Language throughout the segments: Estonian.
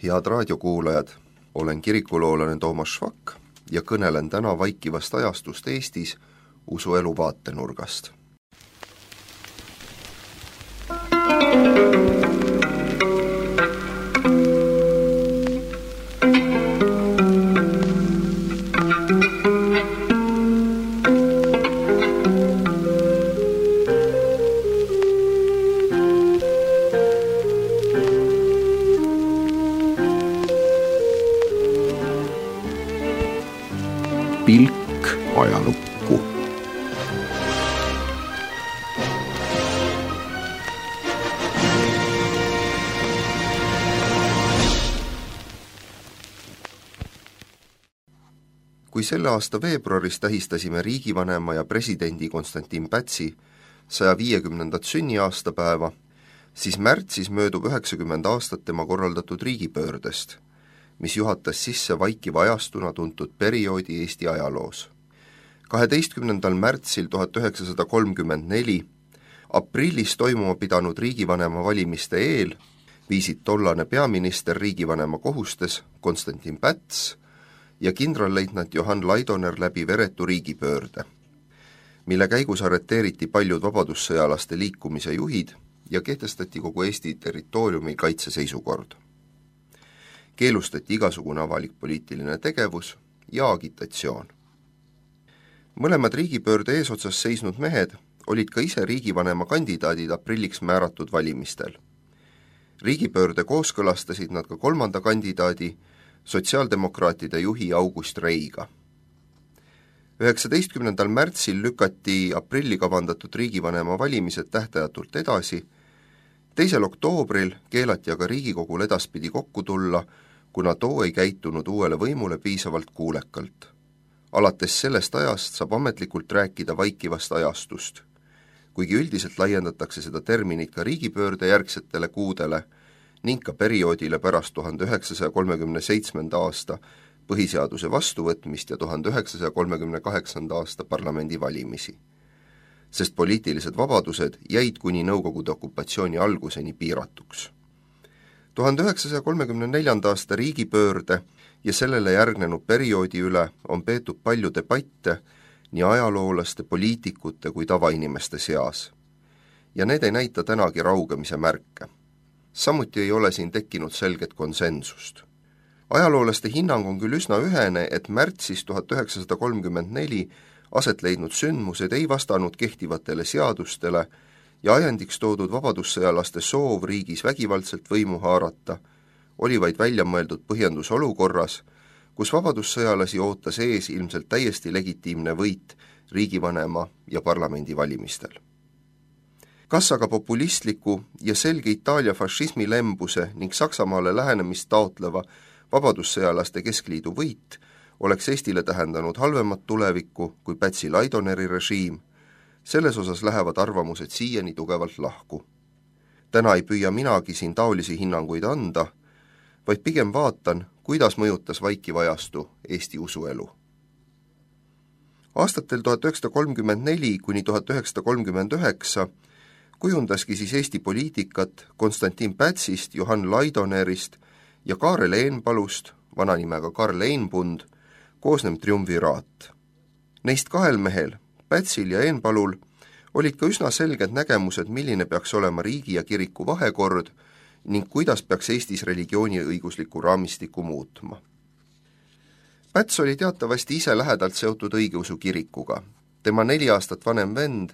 Head raadiokuulajad, olen kirikuloolane Toomas Švak ja kõnelen täna vaikivast ajastust Eestis usuelu vaatenurgast. Pilk ajalukku. Kui selle aasta veebruaris tähistasime riigivanema ja presidendi Konstantin Pätsi 150. sünniaastapäeva, siis märtsis möödub 90 aastat tema korraldatud riigipöördest, mis juhatas sisse vaikiva ajastuna tuntud perioodi Eesti ajaloos. 12. märtsil 1934 aprillis toimuma pidanud riigivanema valimiste eel viisid tollane peaminister riigivanema kohustes Konstantin Päts ja kindralleitnant Johann Laidoner läbi veretu riigipöörde, mille käigus arreteeriti paljud vabadussõjalaste liikumise juhid ja kehtestati kogu Eesti territooriumi kaitseseisukord. Keelustati igasugune avalik poliitiline tegevus ja agitatsioon. Mõlemad riigipöörde eesotsas seisnud mehed olid ka ise riigivanema kandidaadid aprilliks määratud valimistel. Riigipöörde kooskõlastasid nad ka kolmanda kandidaadi, sotsiaaldemokraatide juhi August Reiga. 19. märtsil lükati aprilli kavandatud riigivanema valimised tähtajatult edasi, 2. oktoobril keelati aga Riigikogul edaspidi kokku tulla, kuna too ei käitunud uuele võimule piisavalt kuulekalt. Alates sellest ajast saab ametlikult rääkida vaikivast ajastust, kuigi üldiselt laiendatakse seda terminit ka riigipöörde järgsetele kuudele ning ka perioodile pärast 1937. aasta põhiseaduse vastuvõtmist ja 1938. aasta parlamendivalimisi, sest poliitilised vabadused jäid kuni Nõukogude okupatsiooni alguseni piiratuks. 1934. aasta riigipöörde ja sellele järgnenud perioodi üle on peetud palju debatte nii ajaloolaste, poliitikute kui tavainimeste seas. Ja need ei näita tänagi raugemise märke. Samuti ei ole siin tekkinud selget konsensust. Ajaloolaste hinnang on küll üsna ühene, et märtsis 1934 aset leidnud sündmused ei vastanud kehtivatele seadustele ja ajendiks toodud vabadussõjalaste soov riigis vägivaldselt võimu haarata oli vaid välja mõeldud põhjendus olukorras, kus vabadussõjalasi ootas ees ilmselt täiesti legitiimne võit riigivanema ja parlamendi valimistel. Kas aga populistliku ja selge Itaalia fašismi lembuse ning Saksamaale lähenemist taotleva vabadussõjalaste keskliidu võit oleks Eestile tähendanud halvemat tulevikku kui Pätsi Laidoneri režiim, selles osas lähevad arvamused siiani tugevalt lahku. Täna ei püüa minagi siin taolisi hinnanguid anda, vaid pigem vaatan, kuidas mõjutas vaikiv ajastu Eesti usuelu. Aastatel 1934 kuni 1939 kujundaski siis Eesti poliitikat Konstantin Pätsist, Johann Laidonerist ja Kaarel Eenpalust, vananimega Karl Eenpund, koosnev triumviraat. Neist kahel mehel, Pätsil ja Eenpalul, olid ka üsna selged nägemused, milline peaks olema riigi ja kiriku vahekord ning kuidas peaks Eestis religiooni õigusliku raamistiku muutma. Päts oli teatavasti ise lähedalt seotud õigeusu kirikuga. Tema 4 aastat vanem vend,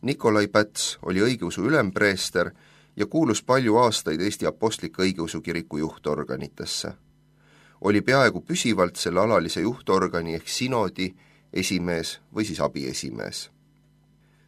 Nikolai Päts, oli õigeusu ülempreester ja kuulus palju aastaid Eesti Apostliku õigeusu kiriku juhtorganitesse. Oli peaaegu püsivalt selle alalise juhtorgani ehk sinodi esimees või siis abiesimees.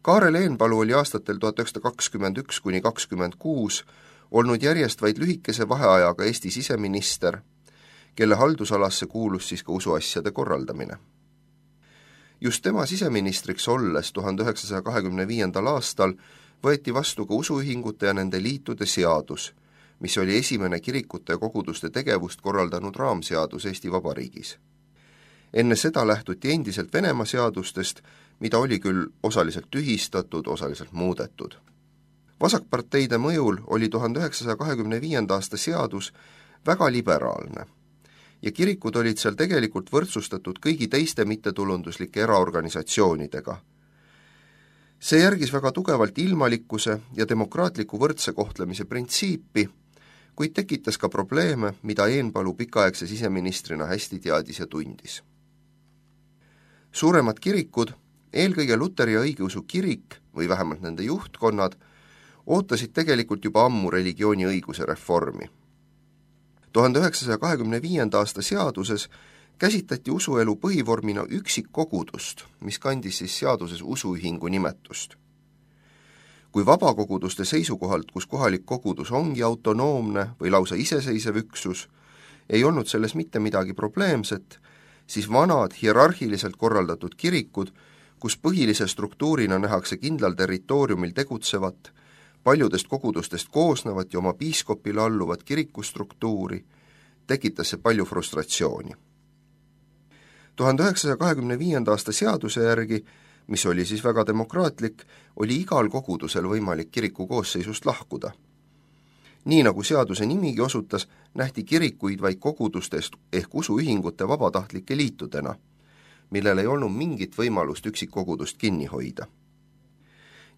Kaarel Eenpalu oli aastatel 1921 kuni 26 olnud järjest vaid lühikese vaheajaga Eesti siseminister, kelle haldusalasse kuulus siis ka usuasjade korraldamine. Just tema siseministriks olles 1925. aastal võeti vastu ka usuühingute ja nende liitude seadus, mis oli esimene kirikute ja koguduste tegevust korraldanud raamseadus Eesti Vabariigis. Enne seda lähtuti endiselt Venemaa seadustest, mida oli küll osaliselt tühistatud, osaliselt muudetud. Vasakparteide mõjul oli 1925. aasta seadus väga liberaalne ja kirikud olid seal tegelikult võrdsustatud kõigi teiste mittetulunduslike eraorganisatsioonidega. See järgis väga tugevalt ilmalikkuse ja demokraatliku võrdse kohtlemise printsiipi, kuid tekitas ka probleeme, mida Eenpalu pikaaegse siseministrina hästi teadis ja tundis. Suuremad kirikud, eelkõige luteri ja õigeusu kirik või vähemalt nende juhtkonnad, ootasid tegelikult juba ammu religiooniõiguse reformi. 1925. aasta seaduses käsitleti usuelu põhivormina üksikkogudust, mis kandis siis seaduses usuühingu nimetust. Kui vabakoguduste seisukohalt, kus kohalik kogudus ongi autonoomne või lausa iseseisev üksus, ei olnud selles mitte midagi probleemset, siis vanad hierarhiliselt korraldatud kirikud, kus põhilise struktuurina nähakse kindlal territooriumil tegutsevat, paljudest kogudustest koosnevat ja oma piiskopile alluvat kirikustruktuuri, tekitas see palju frustratsiooni. 1925. aasta seaduse järgi, mis oli siis väga demokraatlik, oli igal kogudusel võimalik kiriku koosseisust lahkuda. Nii nagu seaduse nimigi osutas, nähti kirikuid vaid kogudustest ehk usuühingute vabatahtlike liitudena, millel ei olnud mingit võimalust üksikkogudust kinni hoida.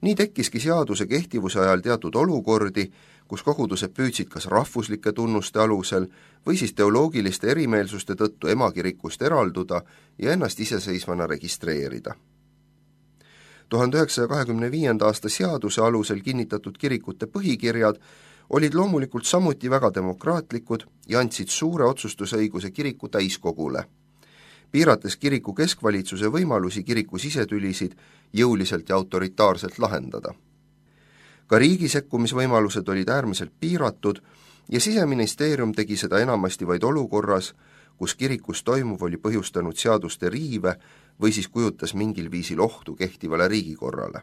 Nii tekkiski seaduse kehtivuse ajal teatud olukordi, kus kogudused püüdsid kas rahvuslike tunnuste alusel või siis teoloogiliste erimeelsuste tõttu emakirikust eralduda ja ennast iseseisvana registreerida. 1925. aasta seaduse alusel kinnitatud kirikute põhikirjad olid loomulikult samuti väga demokraatlikud ja andsid suure otsustusõiguse kiriku täiskogule, piirates kiriku keskvalitsuse võimalusi kiriku sisetülisid jõuliselt ja autoritaarselt lahendada. Ka riigi sekkumisvõimalused olid äärmiselt piiratud ja Siseministeerium tegi seda enamasti vaid olukorras, kus kirikus toimuv oli põhjustanud seaduste riive või siis kujutas mingil viisil ohtu kehtivale riigikorrale.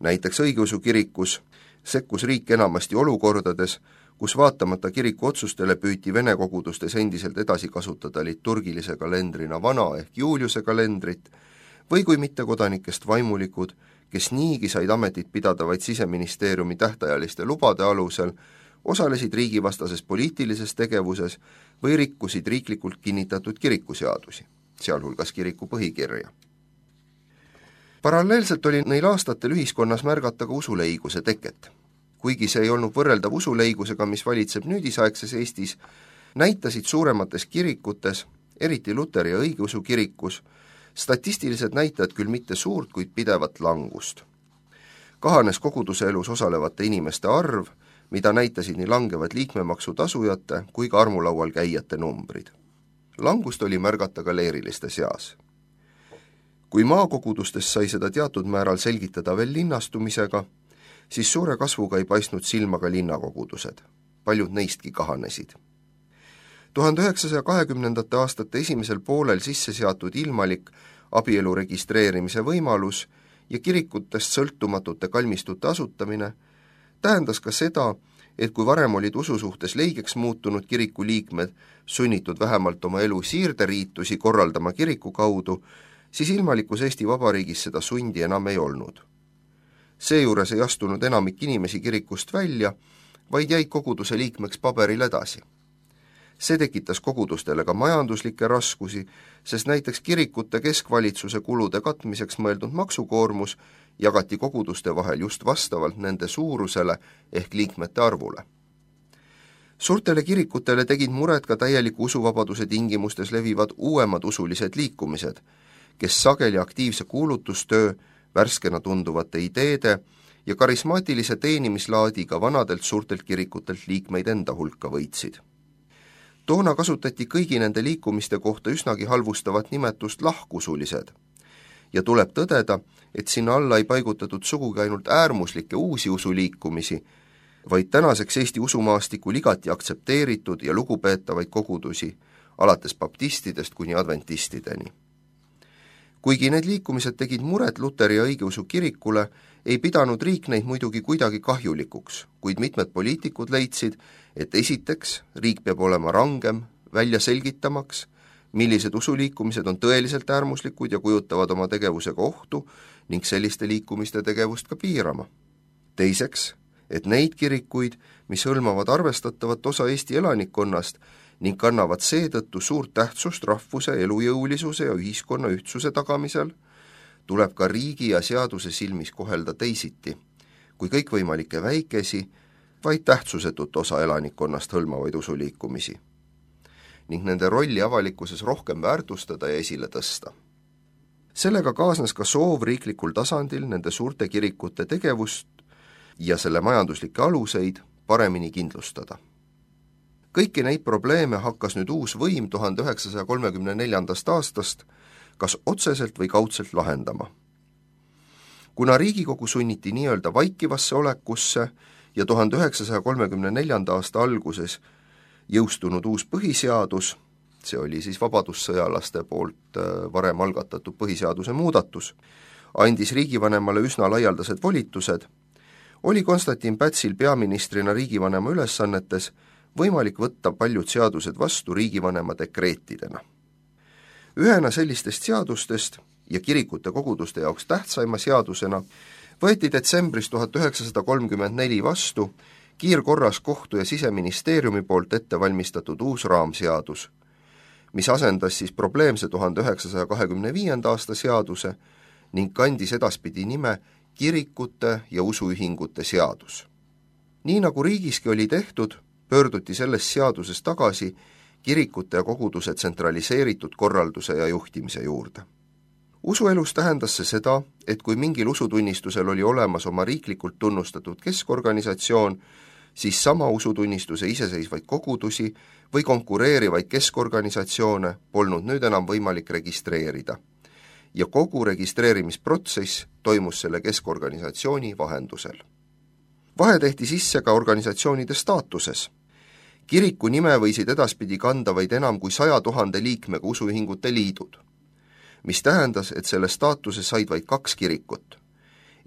Näiteks õigeusu kirikus sekkus riik enamasti olukordades, kus vaatamata kiriku otsustele püüti vene kogudustes endiselt edasi kasutada liturgilise kalendrina vana ehk Juliuse kalendrit, või kui mittekodanikest vaimulikud, kes niigi said ametit pidada vaid Siseministeeriumi tähtajaliste lubade alusel, osalesid riigivastases poliitilises tegevuses või rikkusid riiklikult kinnitatud kirikuseadusi, sealhulgas kiriku põhikirja. Paralleelselt oli neil aastatel ühiskonnas märgata ka usuleiguse teket. Kuigi see ei olnud võrreldav usuleigusega, mis valitseb nüüdisaegses Eestis, näitasid suuremates kirikutes, eriti luteri ja õigeusu kirikus, statistilised näitajad küll mitte suurt, kuid pidevat langust. Kahanes koguduse elus osalevate inimeste arv, mida näitasid nii langevad liikmemaksu tasujate kui ka armulaual käijate numbrid. Langust oli märgata ka leeriliste seas. Kui maakogudustes sai seda teatud määral selgitada veel linnastumisega, siis suure kasvuga ei paistnud silma ka linnakogudused. Paljud neistki kahanesid. 1920. aastate esimesel poolel sisse seatud ilmalik abielu registreerimise võimalus ja kirikutest sõltumatute kalmistute asutamine tähendas ka seda, et kui varem olid usu suhtes leigeks muutunud kiriku liikmed sunnitud vähemalt oma elu siirderiitusi korraldama kiriku kaudu, siis ilmalikus Eesti Vabariigis seda sundi enam ei olnud. Seejuures ei astunud enamik inimesi kirikust välja, vaid jäid koguduse liikmeks paberil edasi. See tekitas kogudustele ka majanduslikke raskusi, sest näiteks kirikute keskvalitsuse kulude katmiseks mõeldud maksukoormus jagati koguduste vahel just vastavalt nende suurusele ehk liikmete arvule. Suurtele kirikutele tegid muret ka täieliku usuvabaduse tingimustes levivad uuemad usulised liikumised, kes sageli aktiivse kuulutustöö, värskena tunduvate ideede ja karismaatilise teenimislaadiga vanadelt suurtelt kirikutelt liikmeid enda hulka võitsid. Toona kasutati kõigi nende liikumiste kohta üsnagi halvustavat nimetust lahkusulised ja tuleb tõdeda, et sinna alla ei paigutatud sugugi ainult äärmuslikke uusi usuliikumisi, vaid tänaseks Eesti usumaastikul igati aktsepteeritud ja lugupeetavaid kogudusi, alates baptistidest kuni adventistideni. Kuigi need liikumised tegid muret luteri ja õigeusu kirikule, ei pidanud riik neid muidugi kuidagi kahjulikuks, kuid mitmed poliitikud leidsid, et esiteks riik peab olema rangem, välja selgitamaks, millised usuliikumised on tõeliselt äärmuslikud ja kujutavad oma tegevusega ohtu ning selliste liikumiste tegevust ka piirama. Teiseks, et neid kirikuid, mis hõlmavad arvestatavat osa Eesti elanikkonnast ning kannavad seetõttu suurt tähtsust rahvuse elujõulisuse ja ühiskonna ühtsuse tagamisel, tuleb ka riigi ja seaduse silmis kohelda teisiti, kui kõikvõimalikke väikesi, vaid tähtsusetut osa elanikkonnast hõlmavaid usuliikumisi, ning nende rolli avalikkuses rohkem väärtustada ja esile tõsta. Sellega kaasnes ka soov riiklikul tasandil nende suurte kirikute tegevust ja selle majanduslikke aluseid paremini kindlustada. Kõiki neid probleeme hakkas nüüd uus võim 1934. aastast kas otseselt või kaudselt lahendama. Kuna Riigikogu sunniti nii-öelda vaikivasse olekusse ja 1934. aasta alguses jõustunud uus põhiseadus, see oli siis vabadussõjalaste poolt varem algatatud põhiseaduse muudatus, andis riigivanemale üsna laialdased volitused, oli Konstantin Pätsil peaministrina riigivanema ülesannetes võimalik võtta paljud seadused vastu riigivanema dekreetidena. Ühena sellistest seadustest ja kirikute koguduste jaoks tähtsaima seadusena võeti detsembris 1934 vastu kiirkorras kohtu- ja siseministeeriumi poolt ettevalmistatud uus raamseadus, mis asendas siis probleemse 1925. aasta seaduse ning kandis edaspidi nime kirikute ja usuühingute seadus. Nii nagu riigiski oli tehtud, pöörduti selles seaduses tagasi kirikute ja koguduse tsentraliseeritud korralduse ja juhtimise juurde. Usuelus tähendas see seda, et kui mingil usutunnistusel oli olemas oma riiklikult tunnustatud keskorganisatsioon, siis sama usutunnistuse iseseisvaid kogudusi või konkureerivaid keskorganisatsioone polnud nüüd enam võimalik registreerida. Ja kogu registreerimisprotsess toimus selle keskorganisatsiooni vahendusel. Vahe tehti sisse ka organisatsioonide staatuses. Kiriku nime võisid edaspidi kanda vaid enam kui 100 000 liikmega usuühingute liidud, mis tähendas, et selle staatuse said vaid 2 kirikut,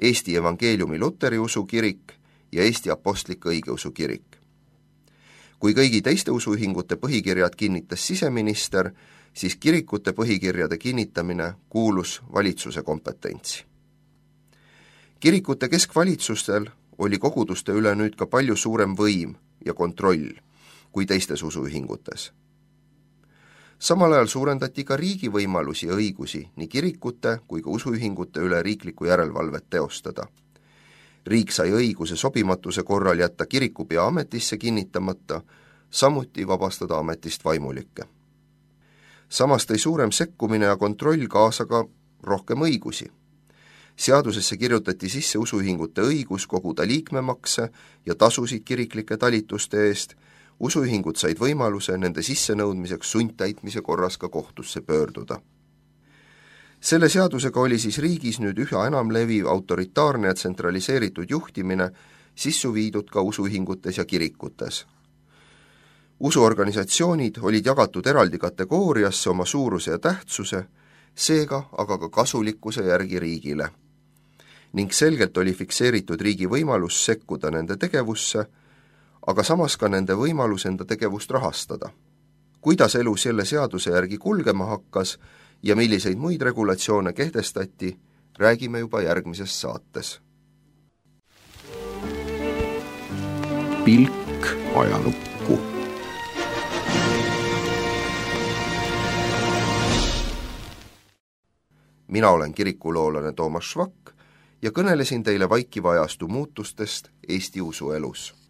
Eesti Evangeeliumi Luteri usukirik ja Eesti Apostlik Õigeusu kirik. Kui kõigi teiste usuühingute põhikirjad kinnitas siseminister, siis kirikute põhikirjade kinnitamine kuulus valitsuse kompetentsi. Kirikute keskvalitsustel oli koguduste üle nüüd ka palju suurem võim ja kontroll kui teistes usuühingutes. Samal ajal suurendati ka riigi võimalusi ja õigusi nii kirikute kui ka usuühingute üle riiklikku järelevalvet teostada. Riik sai õiguse sobimatuse korral jätta kirikupea ametisse kinnitamata, samuti vabastada ametist vaimulikke. Samas tõi suurem sekkumine ja kontroll kaasa ka rohkem õigusi. Seadusesse kirjutati sisse usuühingute õigus koguda liikmemakse ja tasusid kiriklike talituste eest, usuühingud said võimaluse nende sissenõudmiseks sundtäitmise korras ka kohtusse pöörduda. Selle seadusega oli siis riigis nüüd üha enam leviv autoritaarne ja tsentraliseeritud juhtimine sissu viidud ka usuühingutes ja kirikutes. Usuorganisatsioonid olid jagatud eraldi kategooriasse oma suuruse ja tähtsuse, seega aga ka kasulikkuse järgi riigile. Ning selgelt oli fikseeritud riigi võimalus sekkuda nende tegevusse, aga samas ka nende võimalus enda tegevust rahastada. Kuidas elu selle seaduse järgi kulgema hakkas ja milliseid muid regulatsioone kehtestati, räägime juba järgmises saates. Pilk ajalukku. Mina olen kirikuloolane Toomas Švak ja kõnelesin teile vaikiva ajastu muutustest Eesti usuelus.